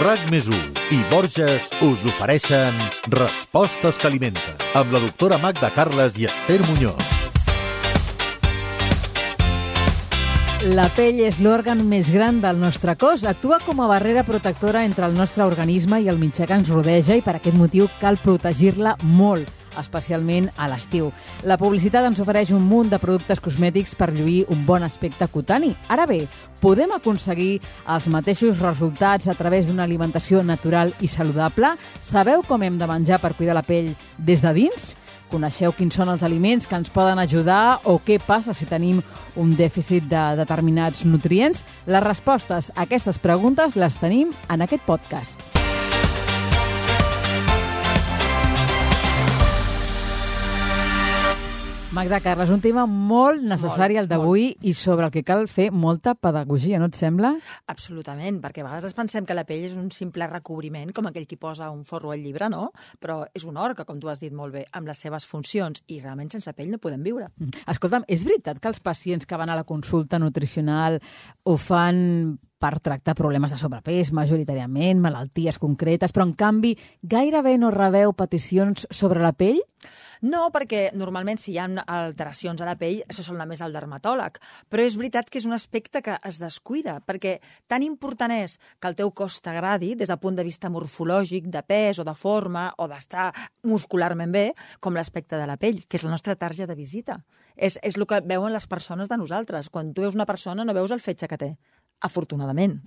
RAC+1 i Borges us ofereixen Respostes que alimenten, amb la doctora Magda Carles i Esther Muñoz. La pell és l'òrgan més gran del nostre cos. Actua com a barrera protectora entre el nostre organisme i el mitjà que ens rodeja i per aquest motiu cal protegir-la molt, especialment a l'estiu. La publicitat ens ofereix un munt de productes cosmètics per lluir un bon aspecte cutani. Ara bé, podem aconseguir els mateixos resultats a través d'una alimentació natural i saludable? Sabeu com hem de menjar per cuidar la pell des de dins? Coneixeu quins són els aliments que ens poden ajudar o què passa si tenim un dèficit de determinats nutrients? Les respostes a aquestes preguntes les tenim en aquest podcast. Magda Carles, un tema molt necessari el d'avui i sobre el que cal fer molta pedagogia, no et sembla? Absolutament, perquè a vegades ens pensem que la pell és un simple recobriment, com aquell qui posa un forro al llibre, no? Però és un òrgan, com tu has dit molt bé, amb les seves funcions, i realment sense pell no podem viure. Escolta'm, és veritat que els pacients que van a la consulta nutricional ho fan per tractar problemes de sobrepès, majoritàriament, malalties concretes, però en canvi gairebé no rebeu peticions sobre la pell? No, perquè normalment si hi ha alteracions a la pell, això sol anar més al dermatòleg. Però és veritat que és un aspecte que es descuida, perquè tan important és que el teu cos t'agradi des del punt de vista morfològic, de pes o de forma, o d'estar muscularment bé, com l'aspecte de la pell, que és la nostra tarja de visita. És el que veuen les persones de nosaltres. Quan tu veus una persona no veus el fetge que té. Afortunadament.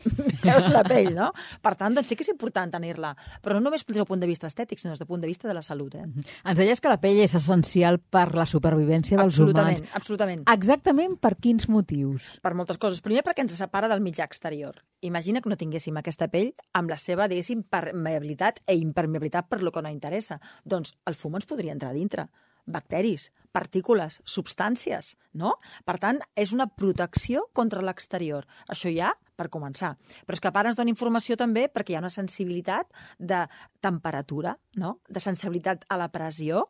Veus la pell, no? Per tant, doncs sí que és important tenir-la. Però no només des del punt de vista estètic, sinó des del punt de vista de la salut. Ens deies que la pell és essencial per la supervivència dels humans. Absolutament. Exactament per quins motius? Per moltes coses. Primer, perquè ens separa del mitjà exterior. Imagina que no tinguéssim aquesta pell amb la seva, diguéssim, permeabilitat i impermeabilitat per lo que no interessa. Doncs el fum ens podria entrar a dintre. Bacteris, partícules, substàncies, no? Per tant, és una protecció contra l'exterior. Això ja per començar. Però és que a part ens dona informació també perquè hi ha una sensibilitat de temperatura, no? De sensibilitat a la pressió,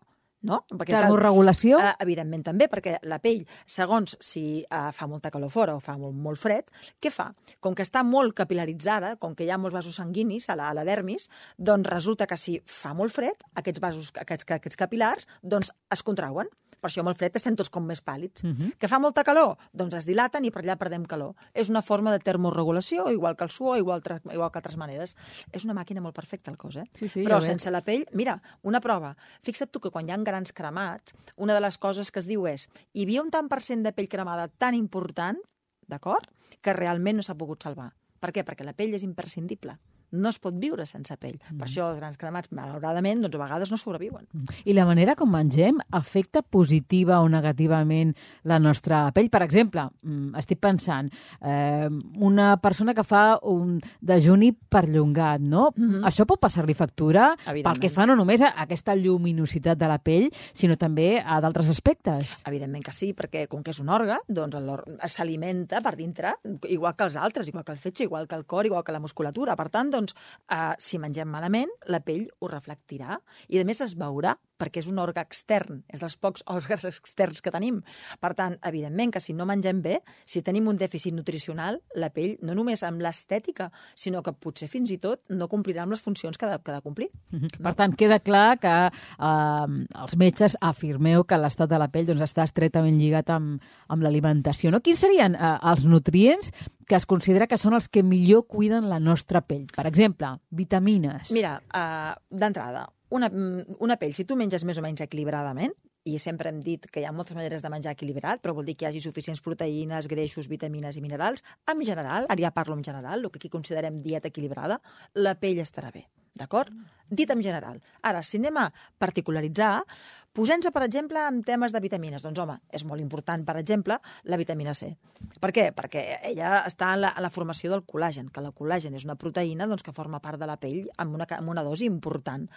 no? Termorregulació? Evidentment també, perquè la pell, segons si fa molta calor fora o fa molt fred, què fa? Com que està molt capilaritzada, com que hi ha molts vasos sanguinis a la dermis, doncs resulta que si fa molt fred, aquests vasos, aquests capilars, doncs es contrauen. Per això molt fred estem tots com més pàl·lids. Que fa molta calor? Doncs es dilaten i per allà perdem calor. És una forma de termorregulació, igual que el suor, igual que altres maneres. És una màquina molt perfecta, el cos, Sí, però sense la pell, mira, una prova. Fixa't tu que quan hi ha grans cremats, una de les coses que es diu és hi havia un tant per cent de pell cremada tan important, d'acord, que realment no s'ha pogut salvar. Per què? Perquè la pell és imprescindible. No es pot viure sense pell. Per això els grans cremats, malauradament, doncs a vegades no sobreviuen. I la manera com mengem afecta positiva o negativament la nostra pell? Per exemple, estic pensant, una persona que fa un dejuni perllongat, no? Això pot passar-li factura pel que fa no només a aquesta lluminositat de la pell, sinó també a d'altres aspectes. Evidentment que sí, perquè com que és un òrgan, doncs s'alimenta per dintre, igual que els altres, igual que el fetge, igual que el cor, igual que la musculatura. Per tant, si mengem malament, la pell ho reflectirà i, a més, es veurà, perquè és un òrgan extern, és dels pocs òrgans externs que tenim. Per tant, evidentment que si no mengem bé, si tenim un dèficit nutricional, la pell, no només amb l'estètica, sinó que potser fins i tot no complirà amb les funcions que ha de complir. Per tant, queda clar que els metges afirmeu que l'estat de la pell està estretament lligat amb l'alimentació. Quins serien els nutrients que es considera que són els que millor cuiden la nostra pell? Per exemple, vitamines. Mira, d'entrada, una pell, si tu menges més o menys equilibradament, i sempre hem dit que hi ha moltes maneres de menjar equilibrat, però vol dir que hi hagi suficients proteïnes, greixos, vitamines i minerals, en general, ara ja parlo en general, el que aquí considerem dieta equilibrada, la pell estarà bé, d'acord? Dit en general. Ara, si anem a particularitzar, posem-nos, per exemple, en temes de vitamines. Doncs, home, és molt important, per exemple, la vitamina C. Per què? Perquè ella està en la formació del col·làgen, que el col·làgen és una proteïna que forma part de la pell amb una dosi important.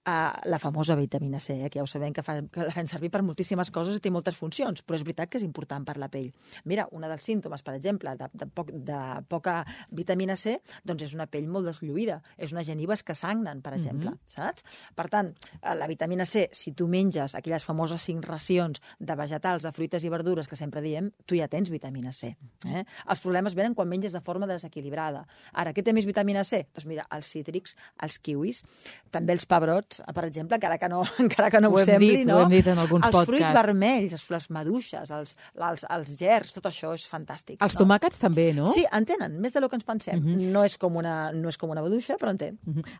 La famosa vitamina C, que ja ho sabem que la fem servir per moltíssimes coses i té moltes funcions, però és veritat que és important per la pell. Mira, un dels símptomes, per exemple, de poca vitamina C, doncs és una pell molt deslluïda, és unes genives que sagnen, per exemple, saps? Per tant, la vitamina C, si tu menges menges aquelles famoses 5 racions de vegetals, de fruites i verdures que sempre diem, tu ja tens vitamina C. Els problemes venen quan menges de forma desequilibrada. Ara, què té més vitamina C? Doncs mira, els cítrics, els kiwis, també els pebrots, per exemple, encara que no ho sembli, no? Ho hem dit en alguns podcasts. Els fruits vermells, les maduixes, els gerds, tot això és fantàstic. Els tomàquets també, no? Sí, en tenen, més del que ens pensem. No és com una maduixa, però en té.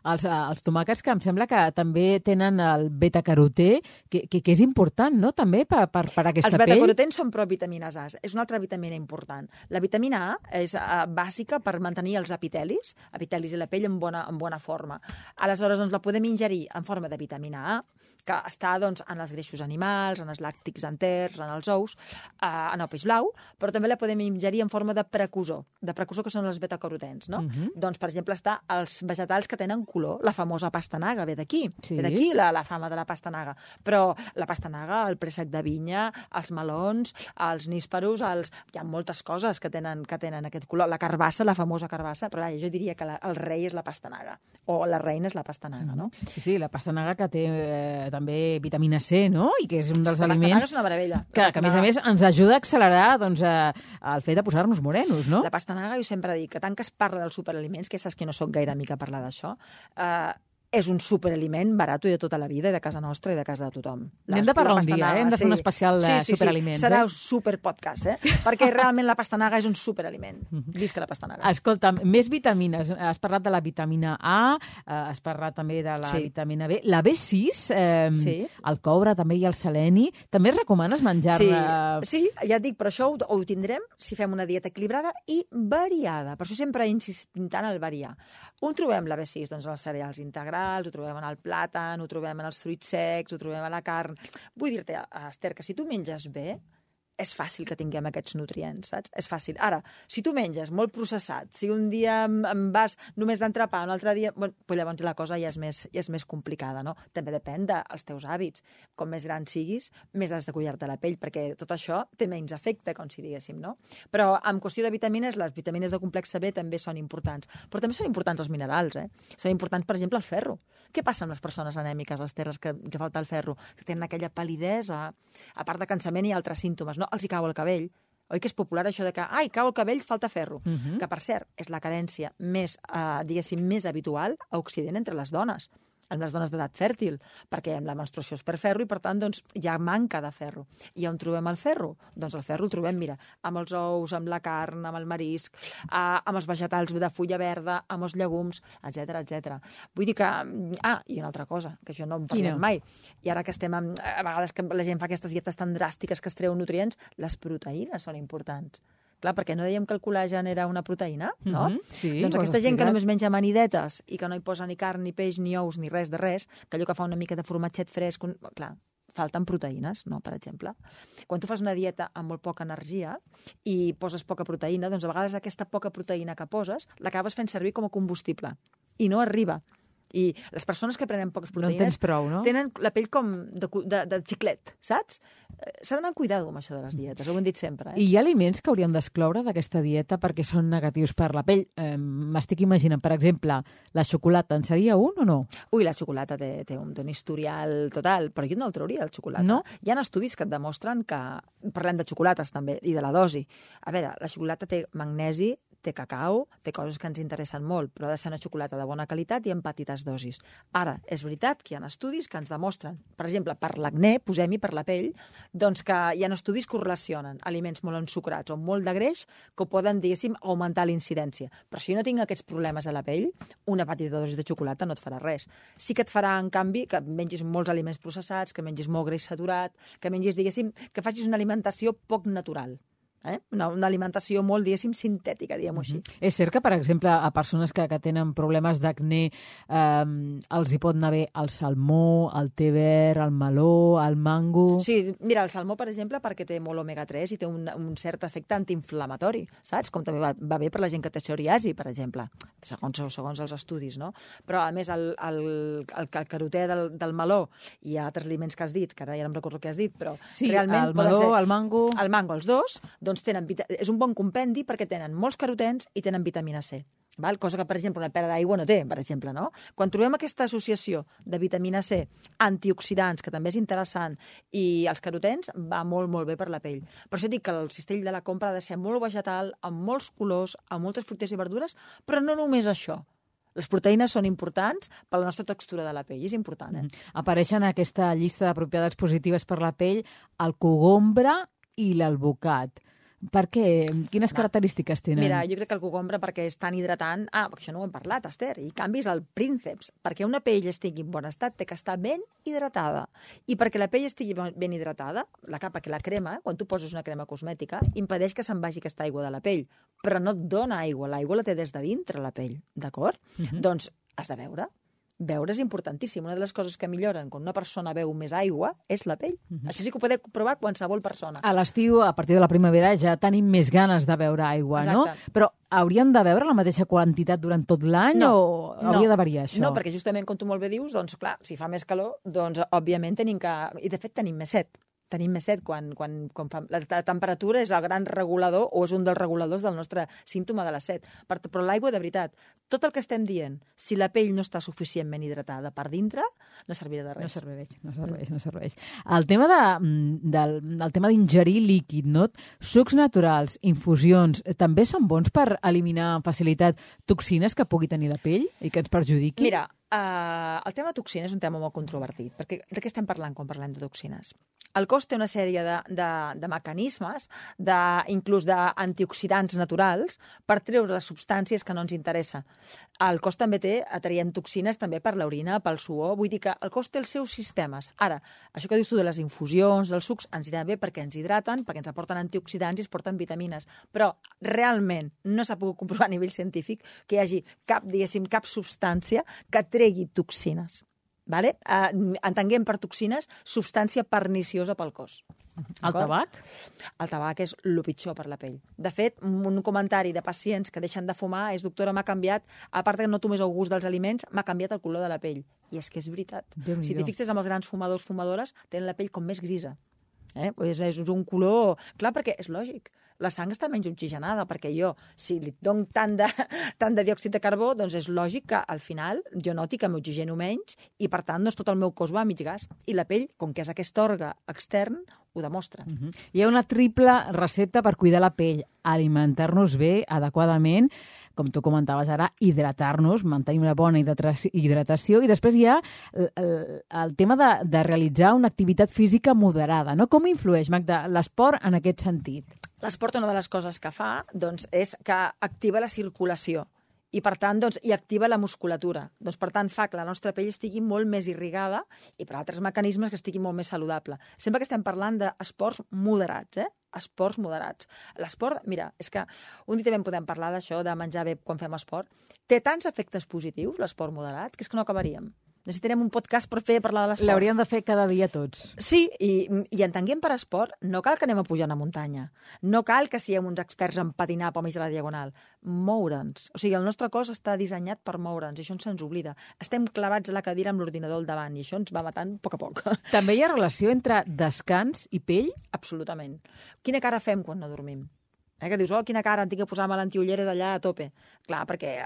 Els tomàquets, que em sembla que també tenen el beta-carotè, que és important, no?, també per aquesta pell. Els beta-carotens són provitamines A. És una altra vitamina important. La vitamina A és bàsica per mantenir els epitelis i la pell en bona forma. Aleshores, doncs, la podem ingerir en forma de vitamina A, que està doncs, en els greixos animals, en els làctics enters, en els ous, en el peix blau, però també la podem ingerir en forma de precursor que són els beta-carotens, no? Doncs, per exemple, està els vegetals que tenen color. La famosa pastanaga ve d'aquí. Sí. Ve d'aquí la fama de la pastanaga. Però la pastanaga, el préssec de vinya, els melons, els nísperos, hi ha moltes coses que tenen aquest color. La carbassa, la famosa carbassa, però jo diria que el rei és la pastanaga, o la reina és la pastanaga, no? Sí, la pastanaga que té també vitamina C, no? I que és un dels aliments... La pastanaga és una meravella. Que a més, ens ajuda a accelerar doncs, el fet de posar-nos morenos, no? La pastanaga, jo sempre dic que tant que es parla dels superaliments, que saps que no sóc gaire amiga a parlar d'això, és un superaliment barat i de tota la vida, i de casa nostra i de casa de tothom. Hem de parlar un dia, hem de fer un especial de superaliments. Serà un superpodcast, perquè realment la pastanaga és un superaliment. Visca la pastanaga. Escolta'm, més vitamines. Has parlat de la vitamina A, has parlat també de la vitamina B. La B6, el coure també i el seleni, també recomanes menjar-ne? Sí, ja et dic, però això ho tindrem si fem una dieta equilibrada i variada. Per això sempre insistim tant al variar. On trobem la B6? Doncs en els cereals integrals, ho trobem en el plàtan, ho trobem en els fruits secs, ho trobem a la carn. Vull dir-te, Esther, que si tu menges bé, és fàcil que tinguem aquests nutrients, saps? És fàcil. Ara, si tu menges molt processat, si un dia em vas només d'entrepà, un altre dia... Bueno, pues llavors la cosa ja és més complicada, no? També depèn dels teus hàbits. Com més gran siguis, més has de cuidar-te la pell, perquè tot això té menys efecte, com si diguéssim, no? Però en qüestió de vitamines, les vitamines de complex B també són importants. Però també són importants els minerals, Són importants, per exemple, el ferro. Què passa amb les persones anèmiques, les terres que falta el ferro? Que tenen aquella pal·lidesa, a part de cansament i altres símptomes, no? Els hi cau el cabell. Oi que és popular això de que, cau el cabell, falta ferro. Que, per cert, és la carència més, diguéssim, més habitual a Occident entre les dones d'edat fèrtil, perquè la menstruació és per ferro i, per tant, doncs, hi ha manca de ferro. I on trobem el ferro? Doncs el ferro el trobem, mira, amb els ous, amb la carn, amb el marisc, amb els vegetals de fulla verda, amb els llegums, etc. Vull dir que... i una altra cosa, que això no en parlem mai. I ara que estem... A vegades que la gent fa aquestes dietes tan dràstiques que es treuen nutrients, les proteïnes són importants. Clar, perquè no dèiem que el col·lagen era una proteïna, no? Sí, doncs aquesta gent que només menja amanidetes i que no hi posa ni carn, ni peix, ni ous, ni res de res, que allò que fa una mica de formatget fresc, clar, falten proteïnes, no?, per exemple. Quan tu fas una dieta amb molt poca energia i poses poca proteïna, doncs a vegades aquesta poca proteïna que poses l'acabes fent servir com a combustible i no arriba. I les persones que prenen poques proteïnes... No en tens prou, no? Tenen la pell com de xiclet, saps? S'ha d'anar amb cuidado amb això de les dietes, ho hem dit sempre. I hi ha aliments que hauríem d'excloure d'aquesta dieta perquè són negatius per la pell. M'estic imaginant, per exemple, la xocolata, en seria un o no? Ui, la xocolata té un historial total, però jo no el trauria, el xocolata. No? Hi ha estudis que et demostren que... Parlem de xocolates, també, i de la dosi. A veure, la xocolata té magnesi, té cacau, té coses que ens interessen molt, però ha de ser una xocolata de bona qualitat i en petites dosis. Ara, és veritat que hi ha estudis que ens demostren, per exemple, per l'acné, posem-hi per la pell, doncs que hi ha estudis que relacionen aliments molt ensucrats o molt de greix que poden, diguéssim, augmentar la incidència. Però si jo no tinc aquests problemes a la pell, una petita dosi de xocolata no et farà res. Sí que et farà, en canvi, que mengis molts aliments processats, que mengis molt greix saturat, que mengis, diguéssim, que facis una alimentació poc natural. Una alimentació molt, diguéssim, sintètica, diguem-ho així. És cert que, per exemple, a persones que tenen problemes d'acné els hi pot anar bé el salmó, el té verd, el meló, el mango... Sí, mira, el salmó, per exemple, perquè té molt omega-3 i té un cert efecte antiinflamatori, saps? Com també va bé per la gent que té psoriasi, per exemple, segons els estudis, no? Però, a més, el carotè del meló i altres aliments que has dit, que ara ja no em recordo què has dit, però sí, realment... el meló, el mango... El mango, els dos, doncs és un bon compendi perquè tenen molts carotens i tenen vitamina C. val? Cosa que, per exemple, una pera d'aigua no té, per exemple, no? Quan trobem aquesta associació de vitamina C, antioxidants, que també és interessant, i els carotens, va molt, molt bé per la pell. Per això dic que el cistell de la compra ha de ser molt vegetal, amb molts colors, amb moltes fruites i verdures, però no només això. Les proteïnes són importants per la nostra textura de la pell, és important, Apareixen en aquesta llista de propietats positives per la pell el cogombre i l'alvocat. Per què? Quines característiques tenen? Mira, jo crec que el cogombre perquè és tan hidratant... Perquè això no ho hem parlat, Esther. I canvis el prínceps. Perquè una pell estigui en bon estat té que estar ben hidratada. I perquè la pell estigui ben hidratada, perquè la crema, quan tu poses una crema cosmètica, impedeix que se'n vagi aquesta aigua de la pell. Però no et dona aigua. L'aigua la té des de dintre la pell, d'acord? Doncs has de beure. Beure és importantíssim. Una de les coses que milloren quan una persona beu més aigua és la pell. Això sí que ho pot provar qualsevol persona. A l'estiu, a partir de la primavera, ja tenim més ganes de beure aigua, no? Però hauríem de beure la mateixa quantitat durant tot l'any o hauria de variar això? No, perquè justament, com tu molt bé dius, doncs clar, si fa més calor, doncs òbviament tenim que... I de fet tenim més set. Tenim més set quan fa... La temperatura és el gran regulador o és un dels reguladors del nostre símptoma de la set. Però l'aigua, de veritat, tot el que estem dient, si la pell no està suficientment hidratada per dintre, no servirà de res. No serveix. El tema d'ingerir líquid, no? Sucs naturals, infusions, també són bons per eliminar amb facilitat toxines que pugui tenir la pell i que ens perjudiqui? Mira, el tema de toxines és un tema molt controvertit, perquè de què estem parlant quan parlem de toxines? El cos té una sèrie de mecanismes, inclús d'antioxidants naturals, per treure les substàncies que no ens interessa. El cos també traiem toxines també per l'orina, pel suor, vull dir que el cos té els seus sistemes. Ara, això que dius tu de les infusions, dels sucs, ens irà bé perquè ens hidraten, perquè ens aporten antioxidants i ens porten vitamines, però realment no s'ha pogut comprovar a nivell científic que hi hagi cap substància que tregui toxines. Vale? Entenguem per toxines substància perniciosa pel cos. El tabac? El tabac és el pitjor per la pell. De fet, un comentari de pacients que deixen de fumar és: doctora, m'ha canviat, a part que no tomés el gust dels aliments, m'ha canviat el color de la pell. I és que és veritat. Si t'hi fixes amb els grans fumadors, fumadores, tenen la pell com més grisa. És un color... Clar, perquè és lògic. La sang està menys oxigenada, perquè jo, si li dono tant de diòxid de carbó, doncs és lògic que al final jo noti que m'oxigeno menys i, per tant, doncs tot el meu cos va a mig gas. I la pell, com que és aquest òrgan extern, ho demostra. Hi ha una triple recepta per cuidar la pell: alimentar-nos bé, adequadament, com tu comentaves ara, hidratar-nos, mantenir una bona hidratació, i després hi ha el tema de realitzar una activitat física moderada, no? Com influeix, Magda, l'esport en aquest sentit? L'esport, una de les coses que fa, doncs, és que activa la circulació i, per tant, doncs, i activa la musculatura. Doncs, per tant, fa que la nostra pell estigui molt més irrigada i, per altres mecanismes, que estigui molt més saludable. Sempre que estem parlant d'esports moderats, esports moderats. L'esport, mira, és que un dia també en podem parlar d'això, de menjar bé quan fem esport. Té tants efectes positius, l'esport moderat, que és que no acabaríem. Necessitarem un podcast per parlar de l'esport. L'hauríem de fer cada dia tots. Sí, i entenguem per esport, no cal que anem a pujar una muntanya. No cal que siguem uns experts en patinar pel mig de la diagonal. Moure'ns. O sigui, el nostre cos està dissenyat per moure'ns, i això se'ns oblida. Estem clavats a la cadira amb l'ordinador al davant, i això ens va matant a poc. També hi ha relació entre descans i pell? Absolutament. Quina cara fem quan no dormim? Que dius, quina cara, em tinc que posar-me l'antiulleres allà a tope. Clar, perquè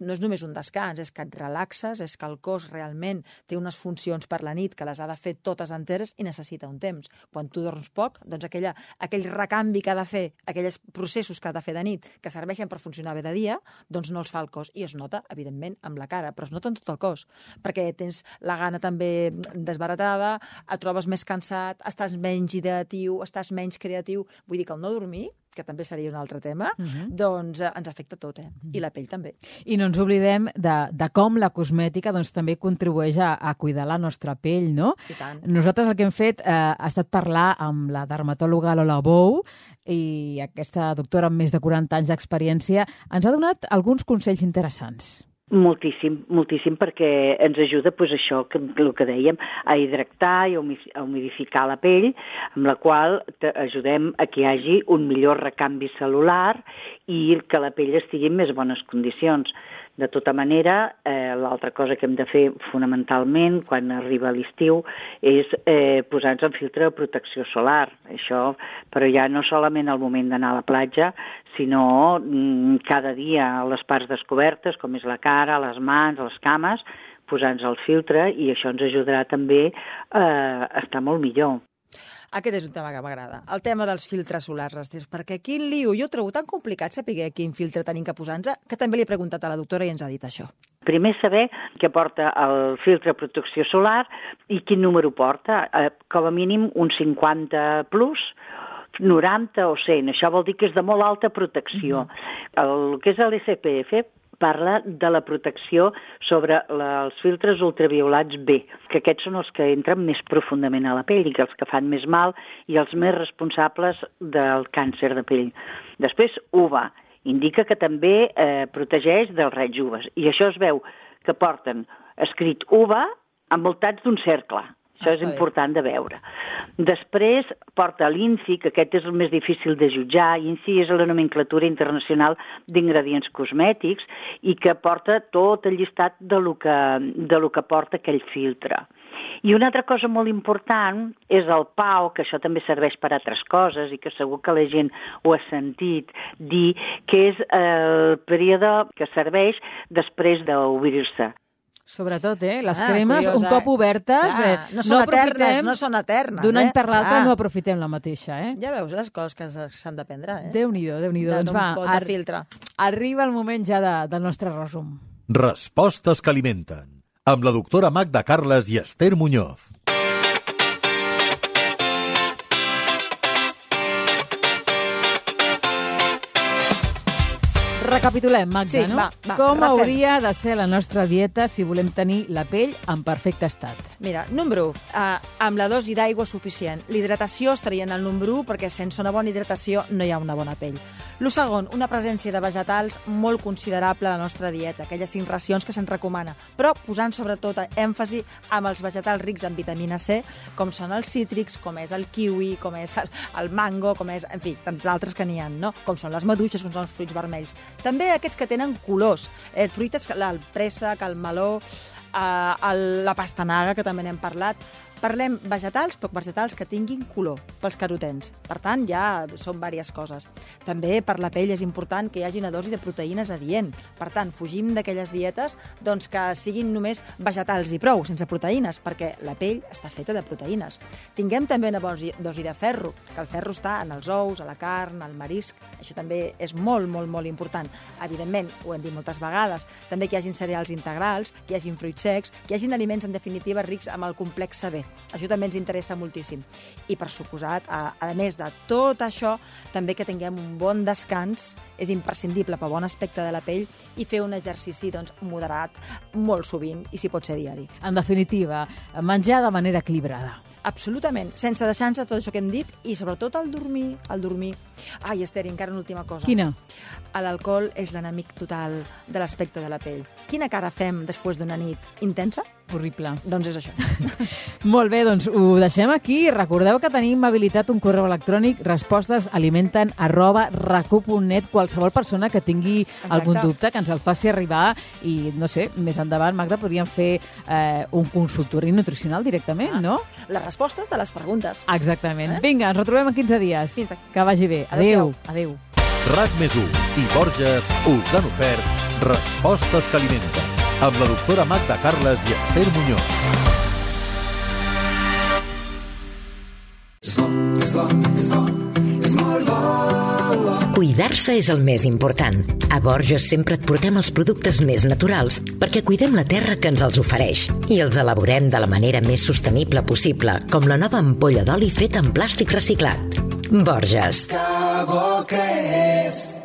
no és només un descans, és que et relaxes, és que el cos realment té unes funcions per la nit que les ha de fer totes enteres i necessita un temps. Quan tu dorms poc, doncs aquell recanvi que ha de fer, aquells processos que ha de fer de nit, que serveixen per funcionar bé de dia, doncs no els fa el cos. I es nota, evidentment, amb la cara, però es nota en tot el cos, perquè tens la gana també desbaratada, et trobes més cansat, estàs menys hidratatiu, estàs menys creatiu. Vull dir que el no dormir, que també seria un altre tema, doncs ens afecta tot, I la pell també. I no ens oblidem de com la cosmètica doncs, també contribueix a cuidar la nostra pell, no? I tant. Nosaltres el que hem fet ha estat parlar amb la dermatòloga Lola Bou, i aquesta doctora amb més de 40 anys d'experiència ens ha donat alguns consells interessants. Moltíssim, perquè ens ajuda, doncs això, el que dèiem, a hidratar i a humidificar la pell, amb la qual ajudem a que hi hagi un millor recanvi cel·lular i que la pell estigui en més bones condicions. De tota manera, l'altra cosa que hem de fer fonamentalment quan arriba l'estiu és posar-nos un filtre de protecció solar. Això, però ja no solament al moment d'anar a la platja, sinó cada dia a les parts descobertes, com és la cara, les mans, les cames, posar-nos el filtre, i això ens ajudarà també a estar molt millor. Aquest és un tema que m'agrada, el tema dels filtres solars, Esther, perquè quin lío, jo ho trobo tan complicat saber quin filtre tenim que posar-nos, que també li he preguntat a la doctora i ens ha dit això. Primer saber què porta el filtre de protecció solar i quin número porta, com a mínim un 50 plus, 90 o 100, això vol dir que és de molt alta protecció. El que és l'SPF parla de la protecció sobre els filtres ultraviolats B, que aquests són els que entren més profundament a la pell i els que fan més mal i els més responsables del càncer de pell. Després, UVA, indica que també protegeix dels raigs UVA, i això es veu que porten escrit UVA envoltats d'un cercle. Això és important de veure. Després porta l'INCI, que aquest és el més difícil de jutjar. INCI és la nomenclatura internacional d'ingredients cosmètics i que porta tot el llistat de lo que porta aquell filtre. I una altra cosa molt important és el PAO, que això també serveix per altres coses i que segur que la gent ho ha sentit dir, que és el període que serveix després d'obrir-se. Sobretot, les cremes, un cop obertes, no són eternes. D'un any per l'altre no aprofitem la mateixa. Ja veus les coses que s'han d'aprendre. Déu-n'hi-do, Déu-n'hi-do. Doncs va, arriba el moment ja del nostre resum. Respostes que alimenten, amb la doctora Magda Carles i Esther Muñoz. Recapitulem, Magda, no? Va, com hauria de ser la nostra dieta si volem tenir la pell en perfecte estat? Mira, número 1, amb la dosi d'aigua suficient. L'hidratació estaria en el número 1 perquè sense una bona hidratació no hi ha una bona pell. El segon, una presència de vegetals molt considerable a la nostra dieta, aquelles 5 racions que se'n recomana, però posant sobretot èmfasi amb els vegetals rics en vitamina C, com són els cítrics, com és el kiwi, com és el mango, com és, en fi, tants altres que n'hi ha, no? Com són les maduixes, com són els fruits vermells. També aquests que tenen colors, fruites, el préssec, el meló, la pastanaga, que també n'hem parlat. Parlem vegetals, però vegetals que tinguin color pels carotens. Per tant, ja són diverses coses. També per la pell és important que hi hagi una dosi de proteïnes adient. Per tant, fugim d'aquelles dietes que siguin només vegetals i prou, sense proteïnes, perquè la pell està feta de proteïnes. Tinguem també una dosi de ferro, que el ferro està en els ous, a la carn, al marisc. Això també és molt, molt, molt important. Evidentment, ho hem dit moltes vegades, també que hi hagin cereals integrals, que hi hagin fruits secs, que hi hagin aliments, en definitiva, rics amb el complex B. Això també ens interessa moltíssim. I, per suposat, a més de tot això, també que tinguem un bon descans és imprescindible pel bon aspecte de la pell i fer un exercici moderat molt sovint i, si pot ser, diari. En definitiva, menjar de manera equilibrada. Absolutament, sense deixar-nos tot això que hem dit i, sobretot, el dormir. Ai, Esther, encara una última cosa. Quina? L'alcohol és l'enemic total de l'aspecte de la pell. Quina cara fem després d'una nit intensa? Horrible. Doncs és això. Molt bé, doncs ho deixem aquí. Recordeu que tenim habilitat un correu electrònic respostesalimenten@racu.net. Qualsevol persona que tingui algun dubte que ens el faci arribar i, no sé, més endavant, Magda, podríem fer un consultori nutricional directament, no? Les respostes de les preguntes. Exactament. Vinga, ens retrobem en 15 dies. Que vagi bé. Adéu. Adéu. RAC+1 i Borges us han ofert Respostes que alimenten, amb la doctora Magda Carles i Esther Muñoz. Cuidar-se és el més important. A Borges sempre et portem els productes més naturals perquè cuidem la terra que ens els ofereix i els elaborem de la manera més sostenible possible, com la nova ampolla d'oli feta en plàstic reciclat. Borges. Que bo que és!